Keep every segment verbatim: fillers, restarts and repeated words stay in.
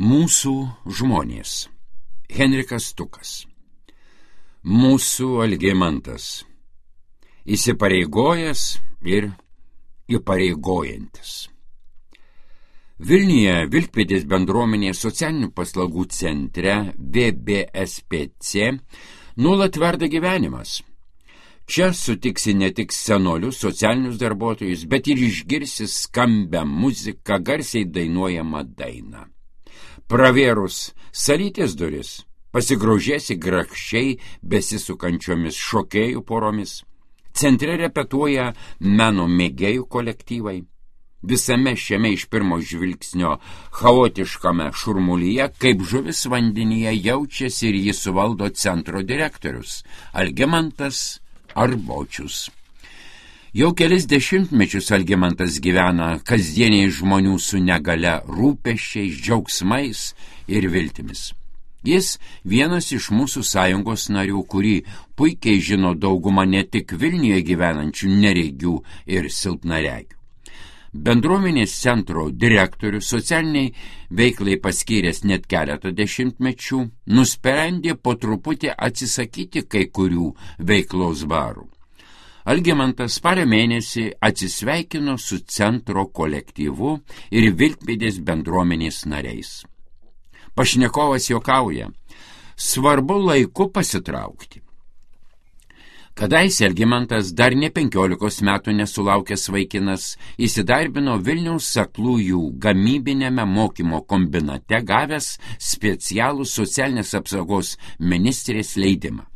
Mūsų žmonės. Henrikas Stukas. Mūsų Algimantas. Įsipareigojęs ir įpareigojantis. Vilniuje Vilkpėdės bendruomenės socialinių paslaugų centre V B S P C nuolat verda gyvenimas. Čia sutiksi ne tik senolius socialinius darbuotojus, bet ir išgirsi skambią muziką, garsiai dainuojamą dainą. Pravėrus salytės duris, pasigrožėsi grakščiai besisukančiomis šokėjų poromis. Centre repetuoja meno mėgėjų kolektyvai. Visame šiame iš pirmo žvilgsnio chaotiškame šurmulyje, kaip žuvis vandenyje, jaučiasi ir jį suvaldo centro direktorius Algimantas Arbočius. Jau kelis dešimtmečius Algimantas gyvena kasdieniai žmonių su negale rūpesčiais, džiaugsmais ir viltimis. Jis vienas iš mūsų sąjungos narių, kurį puikiai žino dauguma ne tik Vilniuje gyvenančių neregių ir silpnaregių. Bendruomenės centro direktorius socialiniai veiklai paskyręs net keletą dešimtmečių, nusprendė po truputį atsisakyti kai kurių veiklos barų. Algimantas spalio mėnesį atsisveikino su centro kolektyvu ir Vilkpėdės bendruomenės nariais. Pašnekovas juokauja, svarbu laiku pasitraukti. Kadaise Algimantas, dar ne penkiolikos metų nesulaukęs vaikinas, įsidarbino Vilniaus aklųjų gamybinėme mokymo kombinate, gavęs specialų socialinės apsaugos ministrės leidimą.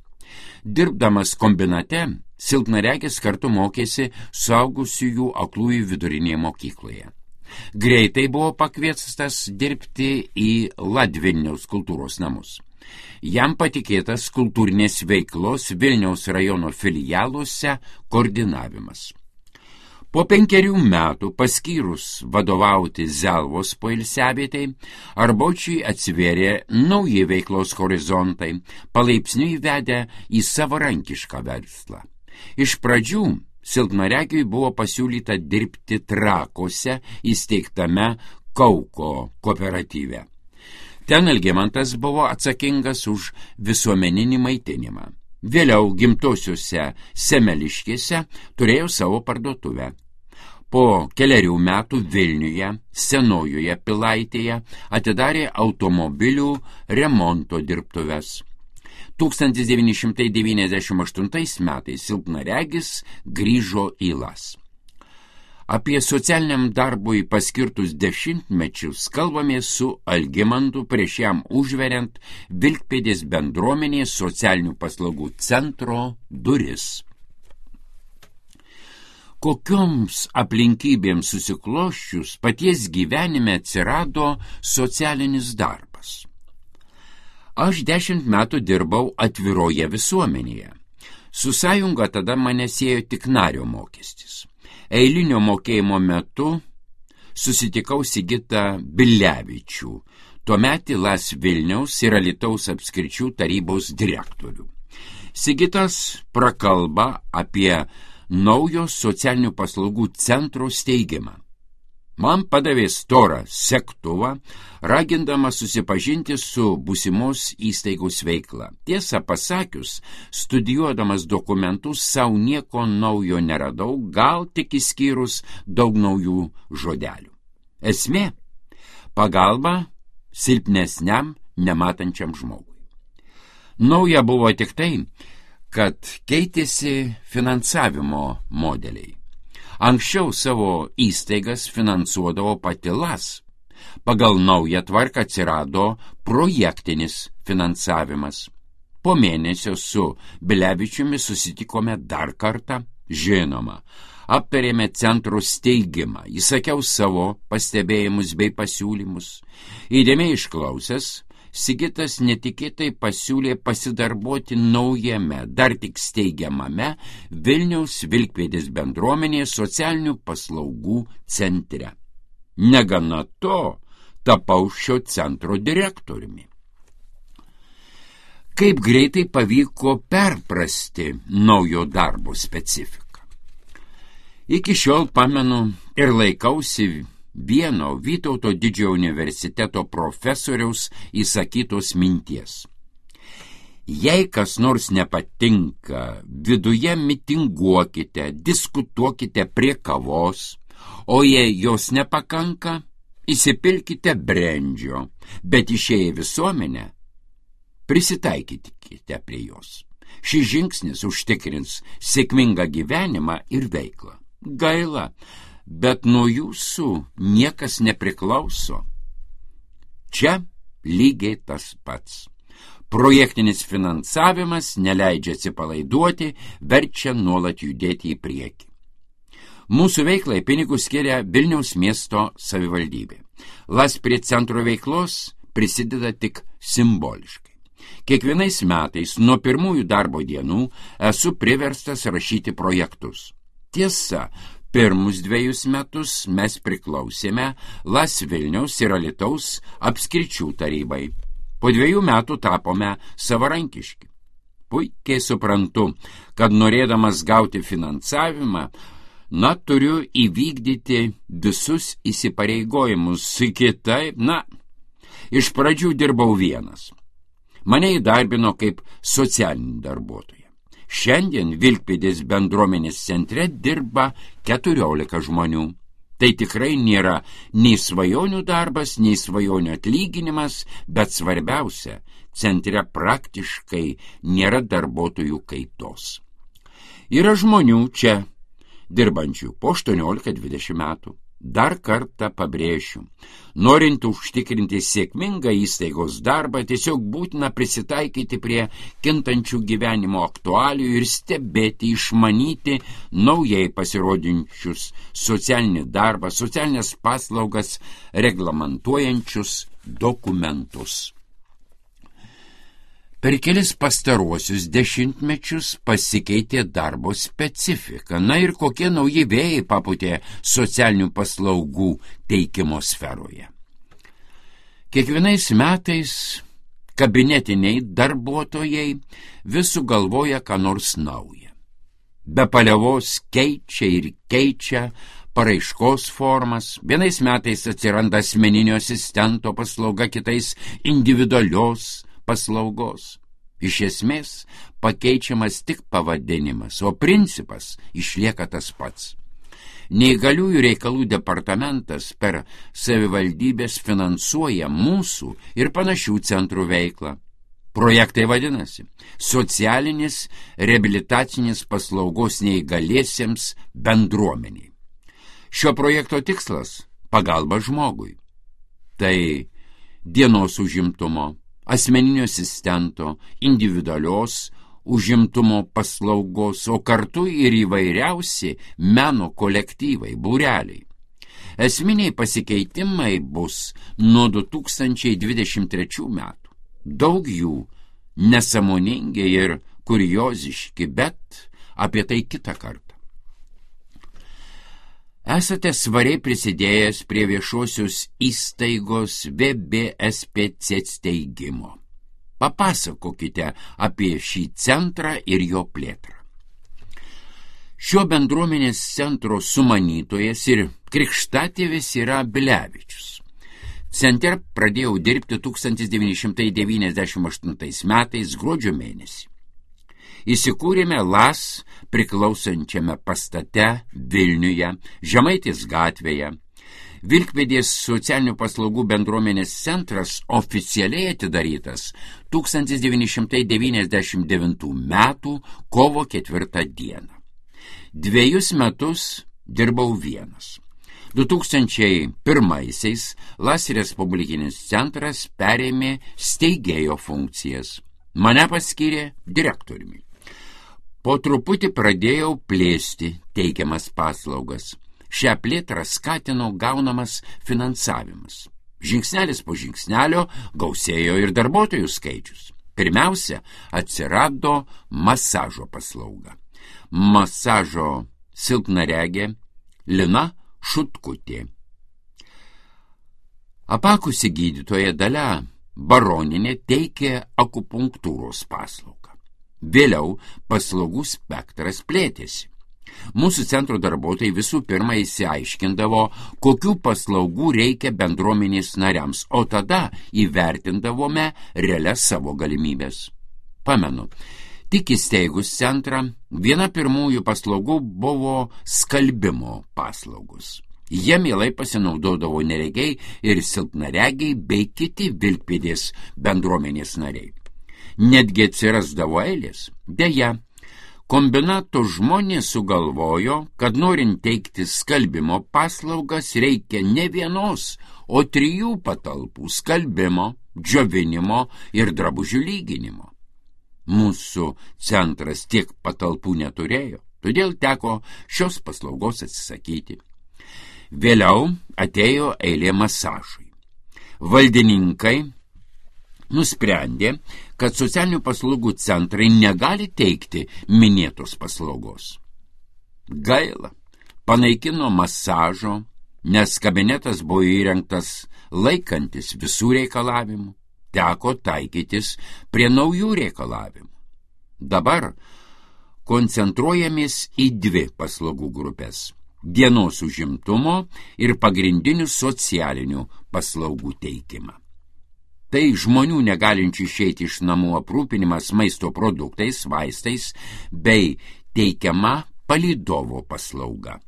Dirbdamas kombinate, silpnaregis kartu mokėsi suaugusiųjų aklųjų vidurinėje mokykloje. Greitai buvo pakviestas dirbti į Ladvilniaus kultūros namus. Jam patikėtas kultūrinės veiklos Vilniaus rajono filialuose koordinavimas. Po penkerių metų paskyrus vadovauti Zelvos poilsiavietei, Arbočiui atsivėrė nauji veiklos horizontai, palaipsniui vedė į savarankišką verslą. Iš pradžių silpnaregiui buvo pasiūlyta dirbti Trakuose įsteigtame Kauko kooperatyve. Ten Algimantas buvo atsakingas už visuomeninį maitinimą. Vėliau gimtosiuose Semeliškėse turėjo savo parduotuvę. Po keliarių metų Vilniuje, Senojoje Pilaitėje atidarė automobilių remonto dirbtuves. tūkstantis devyni šimtai devyniasdešimt aštuntais metais silpnaregis grįžo į Las. Apie socialiniam darbui paskirtus dešimtmečius kalbamės su Algimantu prieš jam užveriant Vilkpėdės bendruomenės socialinių paslaugų centro duris. Kokioms aplinkybėms susikloščius paties gyvenime atsirado socialinis darbas? Aš dešimt metų dirbau atviroje visuomenėje. Su sąjunga tada mane siejo tik nario mokestis. Eilinio mokėjimo metu susitikau Sigitą Bilevičių, tuometį Las Vilniaus ir Alytaus apskričių tarybos direktorių. Sigitas prakalba apie naujo socialinių paslaugų centro steigimą. Man padavė storą segtuvą, ragindamas susipažinti su būsimos įstaigos veikla. Tiesą pasakius, studijuodamas dokumentus, savo nieko naujo neradau, gal tik išskyrus daug naujų žodelių. Esmė – pagalba silpnesniam, nematančiam žmogui. Nauja buvo tik tai, kad keitėsi finansavimo modeliai. Anksčiau savo įstaigas finansuodavo pati Las. Pagal naują tvarką atsirado projektinis finansavimas. Po mėnesio su Bilevičiumi susitikome dar kartą, žinoma. Aptarėme centro steigimą, įsakiau savo pastebėjimus bei pasiūlymus. Įdėmiai išklausęs, Sigitas netikėtai pasiūlė pasidarbuoti naujame, dar tik steigiamame Vilniaus Vilkpėdės bendruomenės socialinių paslaugų centre. Negana to, tapau šio centro direktoriumi. Kaip greitai pavyko perprasti naujo darbo specifiką. Iki šiol pamenu ir laikausi vieno Vytauto didžiojo universiteto profesoriaus įsakytos minties. Jei kas nors nepatinka, viduje mitinguokite, diskutuokite prie kavos, o jei jos nepakanka, įsipilkite brendžio, bet išėję visuomenę, prisitaikykite prie jos. Šis žingsnis užtikrins sėkmingą gyvenimą ir veiklą. Gaila, bet nuo jūsų niekas nepriklauso. Čia lygiai tas pats. Projektinis finansavimas neleidžia atsipalaiduoti, verčia nuolat judėti į priekį. Mūsų veiklai pinigus skiria Vilniaus miesto savivaldybė. Las prie centro veiklos prisideda tik simboliškai. Kiekvienais metais nuo pirmųjų darbo dienų esu priverstas rašyti projektus. Tiesa, pirmus dviejus metus mes priklausėme Las Vilniaus ir Alytaus apskričių tarybai. Po dviejų metų tapome savarankiški. Puikiai suprantu, kad norėdamas gauti finansavimą, na, turiu įvykdyti visus įsipareigojimus. Kitaip, na, iš pradžių dirbau vienas. Mane įdarbino kaip socialinį darbuotoją. Šiandien Vilkpėdės bendruomenės centre dirba keturiolika žmonių. Tai tikrai nėra nei svajonių darbas, nei svajonių atlyginimas, bet svarbiausia, centre praktiškai nėra darbuotojų kaitos. Yra žmonių čia dirbančių po aštuoniolika dvidešimt metų. Dar kartą pabrėšiu, norint užtikrinti sėkmingą įstaigos darbą, tiesiog būtina prisitaikyti prie kintančių gyvenimo aktualijų ir stebėti, išmanyti naujai pasirodinčius socialinį darbą, socialinės paslaugas reglamentuojančius dokumentus. Per kelis pastaruosius dešimtmečius pasikeitė darbo specifika. Na ir kokie nauji vėjai papūtė socialinių paslaugų teikimo sferoje. Kiekvienais metais kabinetiniai darbuotojai vis sugalvoja ką nors naują. Be paliovos keičia ir keičia paraiškos formas. Vienais metais atsiranda asmeninio asistento paslauga, kitais individualios paslaugos. Iš esmės pakeičiamas tik pavadinimas, o principas išlieka tas pats. Neįgaliųjų reikalų departamentas per savivaldybės finansuoja mūsų ir panašių centrų veiklą. Projektai vadinasi socialinis reabilitacinis paslaugos neįgaliesiems bendruomeniai. Šio projekto tikslas – pagalba žmogui. Tai dienos užimtumo, asmeninio asistento, individualios užimtumo paslaugos, o kartu ir įvairiausi meno kolektyvai, būreliai. Esminiai pasikeitimai bus nuo du tūkstančiai dvidešimt trečių metų. Daug jų nesąmoningi ir kurioziški, bet apie tai kitą kartą. Esate svariai prisidėjęs prie viešosios įstaigos V B S P C steigimo. Papasakokite apie šį centrą ir jo plėtrą. Šio bendruomenės centro sumanytojas ir krikštatėvis yra Bilevičius. Centre pradėjau dirbti tūkstantis devyni šimtai devyniasdešimt aštuntais metais gruodžio mėnesį. Įsikūrėme Las priklausančiame pastate Vilniuje, Žemaitės gatvėje. Vilkpėdės socialinių paslaugų bendruomenės centras oficialiai atidarytas tūkstantis devyni šimtai devyniasdešimt devintų metų kovo ketvirtą dieną. Dviejus metus dirbau vienas. du tūkstančiai pirmaisiais Las Respublikinis centras perėmė steigėjo funkcijas. Mane paskyrė direktoriumi. Po truputį pradėjau plėsti teikiamas paslaugas. Šią plėtrą skatino gaunamas finansavimas. Žingsnelis po žingsnelio gausėjo ir darbuotojų skaičius. Pirmiausia, atsirado masažo paslauga. Masažo silpnaregė Lina Šutkutė. Apakusi gydytoja Dalia Baronienė teikė akupunktūros paslaugą. Vėliau paslaugų spektras plėtėsi. Mūsų centro darbuotojai visų pirma įsiaiškindavo, kokių paslaugų reikia bendruomenės nariams, o tada įvertindavome realias savo galimybės. Pamenu, tik įsteigus centrą, viena pirmųjų paslaugų buvo skalbimo paslaugos. Jie mielai pasinaudodavo neregiai ir silpnaregiai bei kiti vilkpėdės bendruomenės nariai. Netgi atsirasdavo eilės. Deja, kombinato žmonės sugalvojo, kad norint teikti skalbimo paslaugas reikia ne vienos, o trijų patalpų skalbimo, džiovinimo ir drabužių lyginimo. Mūsų centras tiek patalpų neturėjo, todėl teko šios paslaugos atsisakyti. Vėliau atėjo eilė masažui. Valdininkai nusprendė, kad socialinių paslaugų centrai negali teikti minėtos paslaugos. Gaila, panaikino masažo, nes kabinetas buvo įrengtas laikantis visų reikalavimų, teko taikytis prie naujų reikalavimų. Dabar koncentruojamės į dvi paslaugų grupės – dienos užimtumo ir pagrindinių socialinių paslaugų teikimą. Tai žmonių negalinčių išeiti iš namų aprūpinimas maisto produktais, vaistais bei teikiama palydovo paslauga.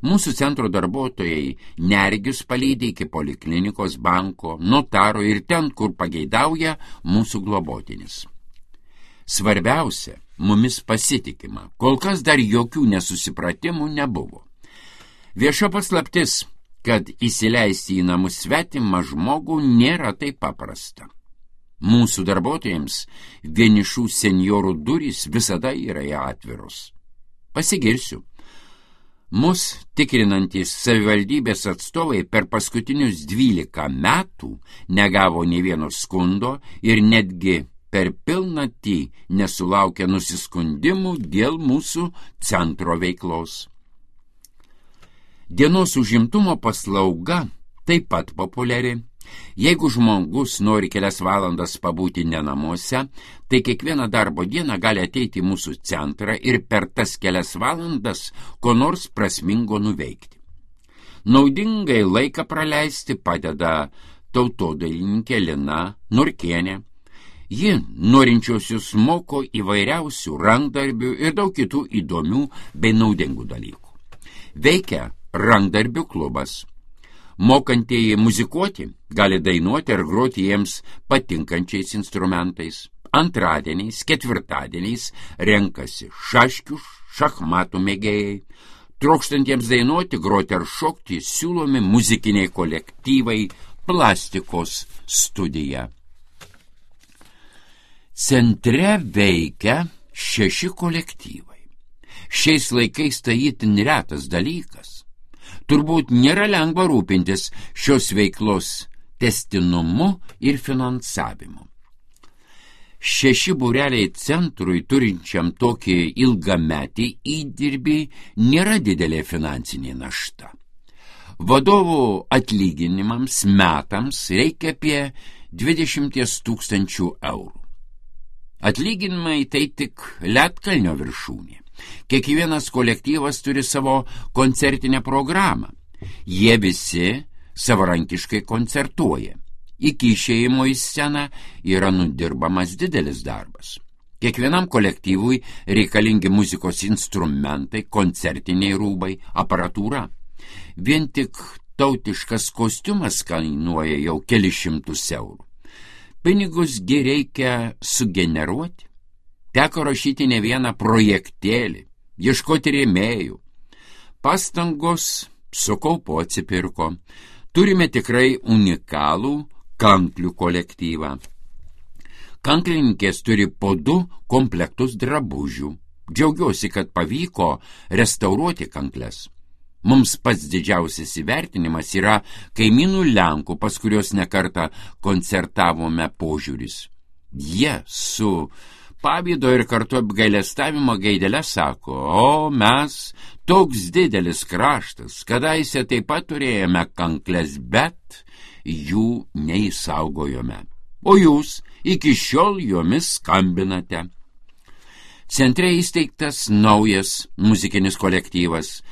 Mūsų centro darbuotojai neregius palydi iki poliklinikos, banko, notaro ir ten, kur pageidauja mūsų globotinis. Svarbiausia, mumis pasitikima, kol kas dar jokių nesusipratimų nebuvo. Vieša paslaptis, kad įsileisti į namus svetimą žmogų nėra taip paprasta. Mūsų darbuotojams vienišų senjorų durys visada yra atviros. Pasigirsiu. Mus tikrinantys savivaldybės atstovai per paskutinius dvylika metų negavo nei vieno skundo ir netgi per pilnatį nesulaukia nusiskundimų dėl mūsų centro veiklos. Dienos užimtumo paslauga taip pat populiari. Jeigu žmogus nori kelias valandas pabūti ne namuose, tai kiekvieną darbo dieną gali ateiti į mūsų centrą ir per tas kelias valandas ko nors prasmingo nuveikti. Naudingai laiką praleisti padeda tautodailininkė Lina Norkienė. Ji norinčiosius moko įvairiausių rankdarbių ir daug kitų įdomių bei naudingų dalykų. Veikia rankdarbių klubas. Mokantieji muzikuoti gali dainuoti ar groti jiems patinkančiais instrumentais. Antradieniais, ketvirtadieniais renkasi šaškių, šachmatų mėgėjai. Trokštantiems dainuoti, groti ar šokti siūlomi muzikiniai kolektyvai, plastikos studija. Centre veikia šeši kolektyvai. Šiais laikais tai itin retas dalykas. Turbūt nėra lengva rūpintis šios veiklos tęstinumu ir finansavimu. Šeši būreliai centrui turinčiam tokį ilgametį įdirbį nėra didelė finansinė našta. Vadovų atlyginimams metams reikia apie dvidešimt tūkstančių eurų. Atlyginimai tai tik ledkalnio viršūnė. Kiekvienas kolektyvas turi savo koncertinę programą. Jie visi savarankiškai koncertuoja. Iki išėjimo į sceną yra nudirbamas didelis darbas. Kiekvienam kolektyvui reikalingi muzikos instrumentai, koncertiniai rūbai, aparatūra. Vien tik tautiškas kostiumas kainuoja jau kelis šimtus eurų. Pinigus gi reikia sugeneruoti. Teko rašyti ne vieną projektėlį, ieškoti rėmėjų. Pastangos su kaupu atsipirko. Turime tikrai unikalų kanklių kolektyvą. Kanklininkės turi po du komplektus drabužių. Džiaugiuosi, kad pavyko restauruoti kankles. Mums pats didžiausias įvertinimas yra kaimynų Lenkų, pas kurios nekartą koncertavome, požiūris. Jie su pavydo ir kartu apgailestavimo gaidelę sako, o mes toks didelis kraštas, kadaise taip pat turėjome kankles, bet jų neįsaugojome. O jūs iki šiol jomis skambinate. Centre įsteigtas naujas muzikinis kolektyvas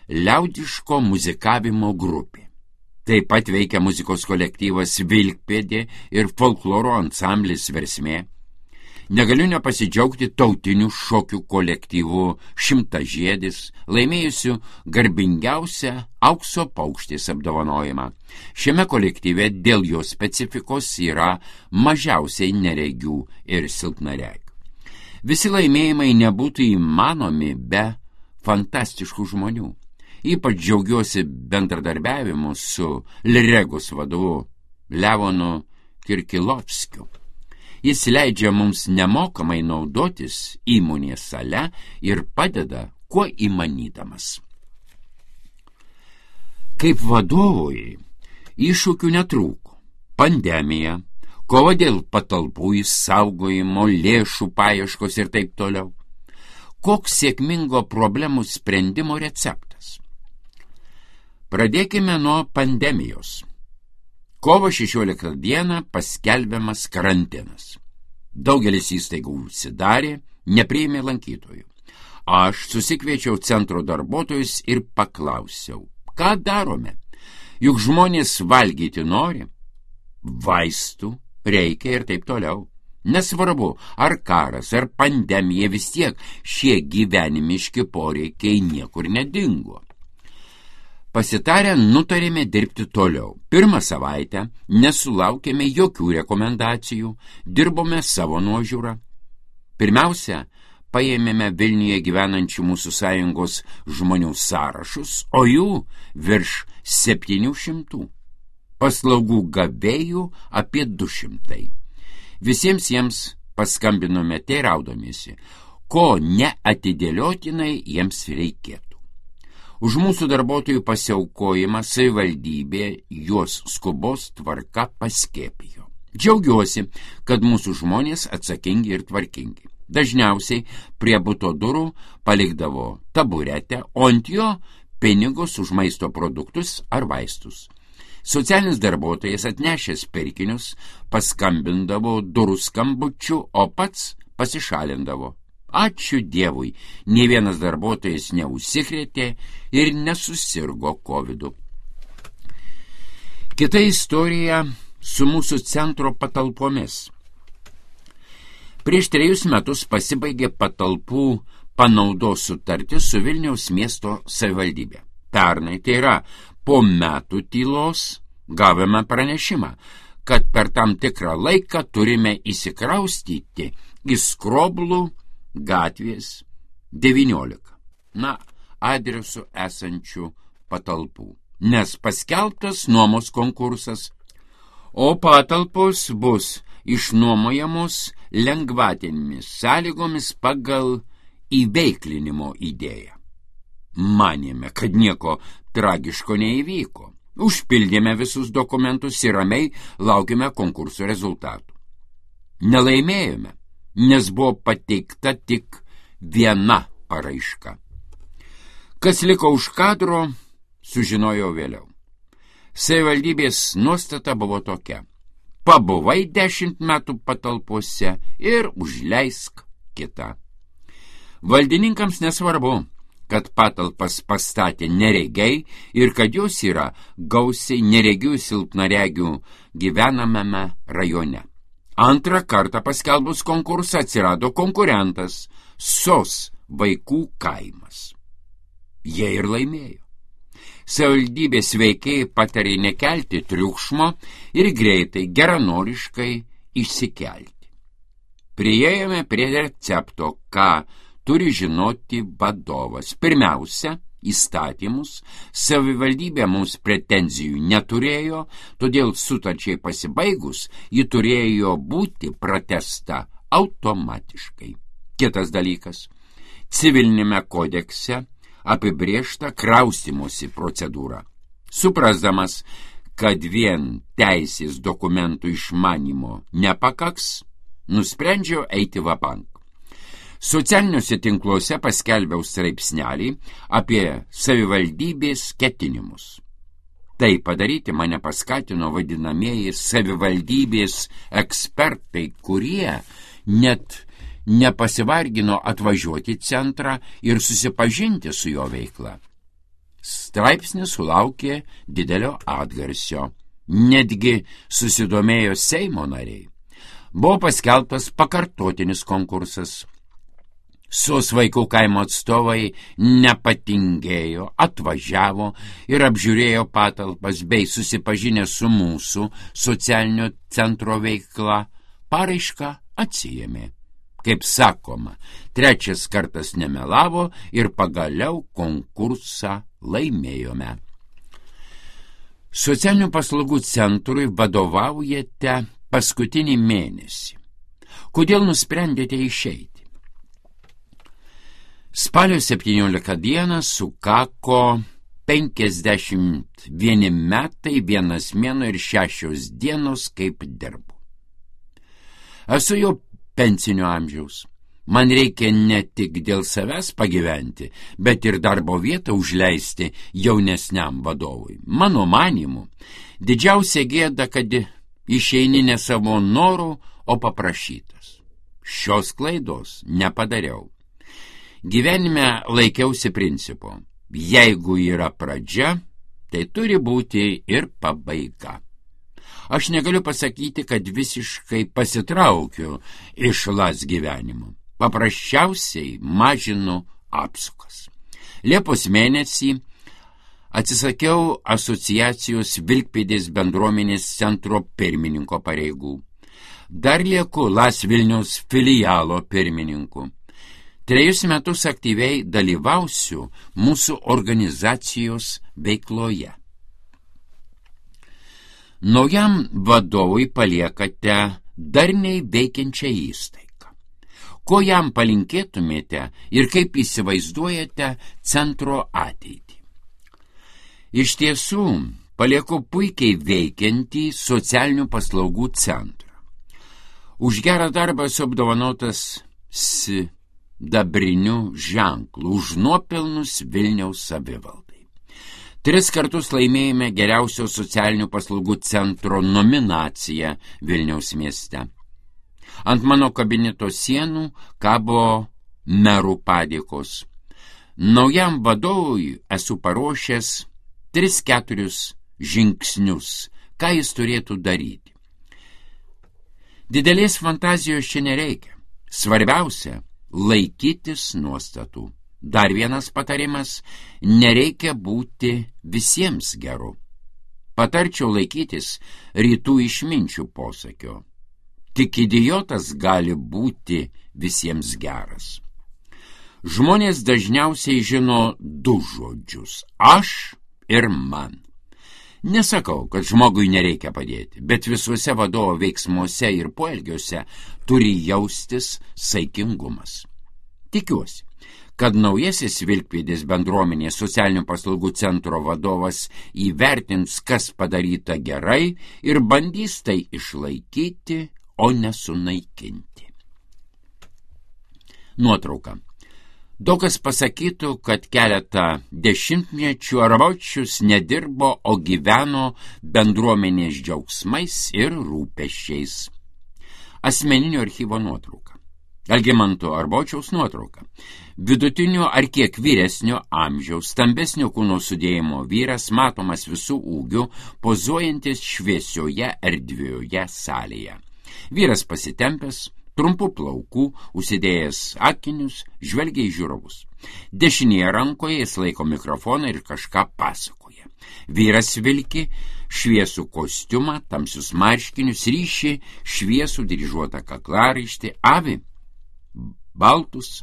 Liaudiško muzikavimo grupė. Taip pat veikia muzikos kolektyvas Vilkpėdė ir folkloro ansamblis Versmė. Negaliu nepasidžiaugti tautinių šokių kolektyvų Šimtažiedis, laimėjusių garbingiausią aukso paukštės apdovanojimą. Šiame kolektyve dėl jo specifikos yra mažiausiai neregių ir silpnaregių. Visi laimėjimai nebūtų įmanomi be fantastiškų žmonių. Ypač džiaugiuosi bendradarbiavimu su Liregos vadovu Levonu Kirkilovskiu. Jis leidžia mums nemokamai naudotis įmonės sale ir padeda, kuo įmanydamas. Kaip vadovui iššūkių netrūko. Pandemija, kova dėl patalpų išsaugojimo, lėšų paieškos ir taip toliau. Koks sėkmingo problemų sprendimo receptas? Pradėkime nuo pandemijos. Kovo šešioliktą dieną paskelbiamas karantinas. Daugelis įstaigų užsidarė, nepriėmė lankytojų. Aš susikviečiau centro darbuotojus ir paklausiau, ką darome? Juk žmonės valgyti nori, vaistų reikia ir taip toliau. Nesvarbu, ar karas, ar pandemija, vis tiek šie gyvenimiški poreikiai niekur nedingo. Pasitarę nutarėme dirbti toliau. Pirmą savaitę nesulaukėme jokių rekomendacijų, dirbome savo nuožiūrą. Pirmiausia, paėmėme Vilniuje gyvenančių mūsų sąjungos žmonių sąrašus, o jų virš septynių šimtų. Paslaugų gavėjų apie du šimtai. Visiems jiems paskambinome teiraudomėsi, ko neatidėliotinai jiems reikėtų. Už mūsų darbuotojų pasiaukojimą savivaldybė juos skubos tvarka paskiepijo. Džiaugiuosi, kad mūsų žmonės atsakingi ir tvarkingi. Dažniausiai prie buto durų palikdavo taburetę, o ant jo pinigus už maisto produktus ar vaistus. Socialinis darbuotojas atnešęs pirkinius paskambindavo durų skambučiu, o pats pasišalindavo. Ačiū Dievui, nė vienas darbuotojas neužsikrėtė ir nesusirgo kovidu. Kita istorija su mūsų centro patalpomis. Prieš trejus metus pasibaigė patalpų panaudos sutartis su Vilniaus miesto savivaldybė. Pernai, tai yra po metų tylos, gavome pranešimą, kad per tam tikrą laiką turime įsikraustyti į Skroblų gatvės devyniolika, na, adresu esančių patalpų, nes paskelbtas nuomos konkursas, o patalpos bus išnuomojamos lengvatinėmis sąlygomis pagal įveiklinimo idėją. Manėme, kad nieko tragiško neįvyko. Užpildėme visus dokumentus ir ramiai laukime konkurso rezultatų. Nelaimėjome, nes buvo pateikta tik viena paraiška. Kas liko už kadro, sužinojau vėliau. Savivaldybės nuostata buvo tokia: pabuvai dešimt metų patalpose ir užleisk kitą. Valdininkams nesvarbu, kad patalpas pastatė neregiai ir kad jos yra gausiai neregių silpnaregių gyvenamame rajone. Antrą kartą paskelbus konkursą atsirado konkurentas Sos vaikų kaimas. Jie ir laimėjo. Savivaldybės veikėjai patarė nekelti triukšmo ir greitai, geranoriškai išsikelti. Priėjome prie recepto, ką turi žinoti vadovas. Pirmiausia, įstatymus. Savivaldybė mums pretenzijų neturėjo, todėl sutarčiai pasibaigus ji turėjo būti pratęsta automatiškai. Kitas dalykas. Civilinėme kodekse apibrėžta kraustymosi procedūra. Suprasdamas, kad vien teisės dokumentų išmanymo nepakaks, nusprendžiau eiti vabank. Socialiniuose tinkluose paskelbiau straipsnelį apie savivaldybės ketinimus. Tai padaryti mane paskatino vadinamieji savivaldybės ekspertai, kurie net nepasivargino atvažiuoti į centrą ir susipažinti su jo veikla. Straipsnis sulaukė didelio atgarsio. Netgi susidomėjo Seimo nariai. Buvo paskelbtas pakartotinis konkursas. Sos vaikų kaimo atstovai nepatingėjo, atvažiavo ir apžiūrėjo patalpas bei susipažinę su mūsų socialinio centro veikla, paraišką atsiėmė. Kaip sakoma, trečias kartas nemelavo ir pagaliau konkursą laimėjome. Socialinių paslaugų centrui vadovaujate paskutinį mėnesį. Kodėl nusprendėte išeiti? Spalio septynioliktą dieną sukako penkiasdešimt vieni metai, vienas mėnuo ir šešios dienos, kaip dirbu. Esu jau pensinio amžiaus. Man reikia ne tik dėl savęs pagyventi, bet ir darbo vietą užleisti jaunesniam vadovui. Mano manymu, didžiausia gėda, kad išeini ne savo norų, o paprašytas. Šios klaidos nepadariau. Gyvenime laikiausi principo. Jeigu yra pradžia, tai turi būti ir pabaiga. Aš negaliu pasakyti, kad visiškai pasitraukiu iš las gyvenimo. Paprasčiausiai mažinu apsukas. Liepos mėnesį atsisakiau asociacijos Vilkpėdės bendruomenės centro pirmininko pareigų. Dar lieku Las Vilniaus filialo pirmininku. Trejus metus aktyviai dalyvausiu mūsų organizacijos veikloje. Naujam vadovui paliekate darniai veikiančią įstaigą. Ko jam palinkėtumėte ir kaip įsivaizduojate centro ateitį? Iš tiesų, palieku puikiai veikiantį socialinių paslaugų centrą. Už gerą darbą esu apdovanotas sidabriniu ženklu, už nuopelnus Vilniaus savivaldai. Tris kartus laimėjome geriausio socialinių paslaugų centro nominaciją Vilniaus mieste. Ant mano kabineto sienų kabo merų padėkos. Naujam vadovui esu paruošęs tris keturius žingsnius, ką jis turėtų daryti. Didelės fantazijos čia nereikia. Svarbiausia – laikytis nuostatų. Dar vienas patarimas – nereikia būti visiems geru. Patarčiau laikytis rytų išminčių posakio. Tik idiotas gali būti visiems geras. Žmonės dažniausiai žino du žodžius – aš ir man. Nesakau, kad žmogui nereikia padėti, bet visuose vadovo veiksmuose ir poelgiuose turi jaustis saikingumas. Tikiuosi, kad naujasis Vilkpėdės bendruomenės socialinių paslaugų centro vadovas įvertins, kas padaryta gerai ir bandys tai išlaikyti, o nesunaikinti. Nuotrauka. Daug kas pasakytų, kad keletą dešimtmečių Arbočius nedirbo, o gyveno bendruomenės džiaugsmais ir rūpesčiais. Asmeninio archyvo nuotrauka. Algimanto Arbočiaus nuotrauka. Vidutinio ar kiek vyresnio amžiaus, stambesnio kūno sudėjimo vyras, matomas visų ūgių, pozuojantis šviesioje erdvioje salėje. Vyras pasitempęs, trumpų plaukų, užsidėjęs akinius, žvelgia į žiūrovus. Dešinėje rankoje jis laiko mikrofoną ir kažką pasakoja. Vyras vilki šviesų kostiumą, tamsius marškinius, ryši šviesų dryžuotą kaklaraištį, avi baltus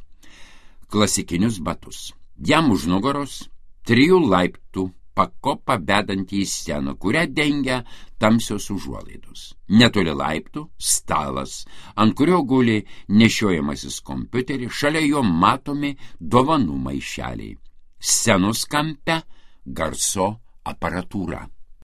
klasikinius batus. Jam už nugaros trijų laiptų pakopa vedantį į sceną, kurią dengia tamsios užuolaidos. Netoli laiptų stalas, ant kurio guli nešiojamasis kompiuteris, šalia jo matomi dovanų maišeliai. Scenos kampe garso aparatūra.